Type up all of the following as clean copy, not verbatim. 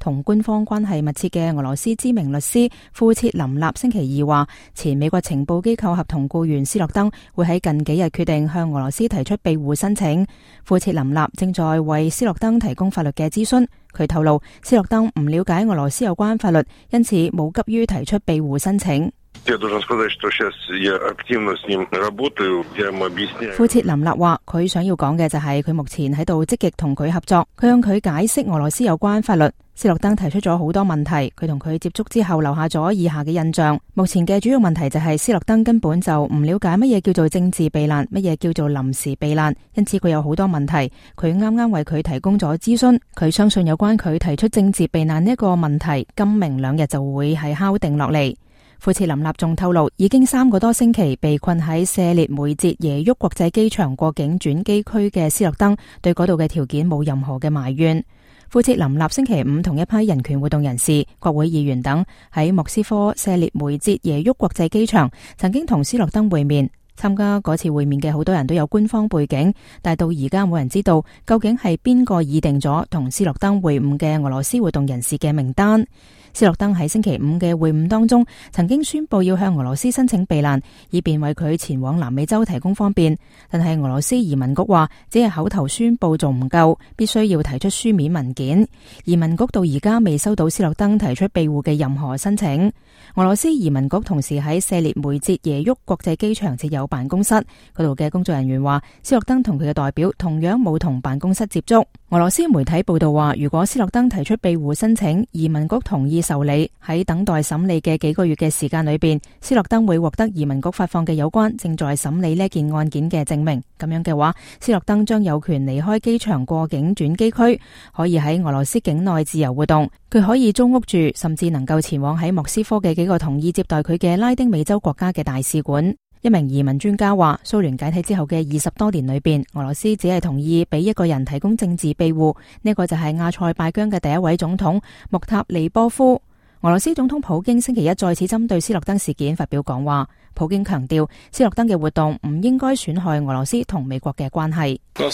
同官方關係密切嘅俄羅斯知名律師庫切林納星期二話，前美國情報機構合同僱員斯諾登會喺近幾日決定向俄羅斯提出庇護申請。庫切林納正在為斯諾登提供法律嘅諮詢。佢透露，斯諾登唔了解俄羅斯有關法律，因此冇急於提出庇護申請。庫切林納話，佢想要講嘅就係佢目前喺度積極同佢合作，佢向佢解釋俄羅斯有關法律。斯諾登提出咗好多問題，佢同佢接觸之後留下咗以下嘅印象。目前嘅主要問題就係斯諾登根本就唔了解乜嘢叫做政治避難，乜嘢叫做臨時避難，因此佢有好多問題。佢啱啱為佢提供咗諮詢，佢相信有關佢提出政治避難呢一個問題，今明兩日就會係敲定落嚟。庫切林納仲透露，已經3個多星期被困喺謝列梅捷耶沃國際機場過境轉機區嘅斯諾登，對嗰度嘅條件冇任何嘅埋怨。庫切林納星期五同一批人權活動人士、國會議員等喺莫斯科謝列梅捷耶沃國際機場曾經同斯諾登會面。參加嗰次會面嘅好多人都有官方背景，但到而家冇人知道究竟係邊個擬定咗同斯諾登會晤嘅俄羅斯活動人士嘅名單。斯諾登喺星期五嘅會晤當中，曾經宣布要向俄羅斯申請避難，以便為佢前往南美洲提供方便。但係俄羅斯移民局話，只係口頭宣布仲唔夠，必須要提出書面文件。移民局到而家未收到斯諾登提出庇護嘅任何申請。俄羅斯移民局同時喺謝列梅捷耶沃國際機場設有辦公室，嗰度嘅工作人員話，斯諾登同佢嘅代表同樣冇同辦公室接觸。俄羅斯媒體報道話，如果斯諾登提出庇護申請，移民局同意受理，喺等待審理嘅幾個月嘅時間裏邊，斯諾登會獲得移民局發放嘅有關正在審理呢件案件嘅證明。咁樣嘅話，斯諾登將有權離開機場過境轉機區，可以喺俄羅斯境內自由活動。佢可以租屋住，甚至能夠前往喺莫斯科嘅幾個同意接待佢嘅拉丁美洲國家嘅大使館。一名移民專家話，蘇聯解體之後嘅20多年裏邊，俄羅斯只係同意俾一個人提供政治庇護，呢個就係亞塞拜疆嘅第一位總統穆塔利波夫。俄羅斯總統普京星期一再次針對斯諾登事件發表講話。普京強調，斯諾登嘅活動唔應該損害俄羅斯同美國嘅關係。普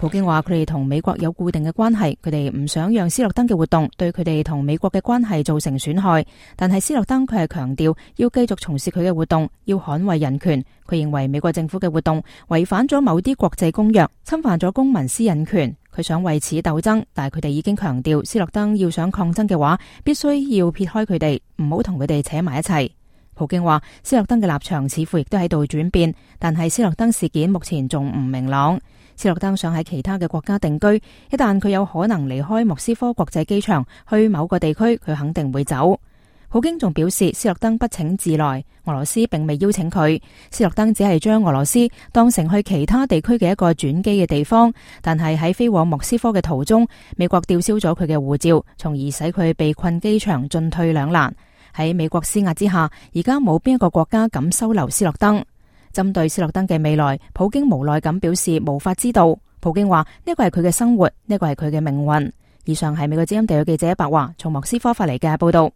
京話，佢哋同美國有固定嘅關係，佢哋唔想讓斯諾登嘅活動對佢哋同美國嘅關係造成損害。但係斯諾登佢係強調要繼續從事佢嘅活動，要捍衛人權。佢認為美國政府嘅活動違反咗某啲國際公約，侵犯咗公民私隱權。佢想為此鬥爭，但係佢哋已經強調，斯諾登要想抗爭嘅話，必須要撇開佢哋，唔好同佢哋扯埋一齊。普京話，斯諾登嘅立場似乎亦都喺度轉變，但係斯諾登事件目前仲唔明朗。斯諾登想喺其他嘅國家定居，一旦佢有可能離開莫斯科國際機場去某個地區，佢肯定會走。普京仲表示，斯諾登不請自來，俄羅斯並未邀請佢。斯諾登只係將俄羅斯當成去其他地區嘅一個轉機嘅地方，但係喺飛往莫斯科嘅途中，美國吊銷咗佢嘅護照，從而使佢被困機場，進退兩難。喺美國施壓之下，而家冇邊一個國家敢收留斯諾登。針對斯諾登嘅未來，普京無奈咁表示無法知道。普京話，呢個係佢嘅生活，呢個係佢嘅命運。以上係美國之音地區記者白華從莫斯科發嚟嘅報道。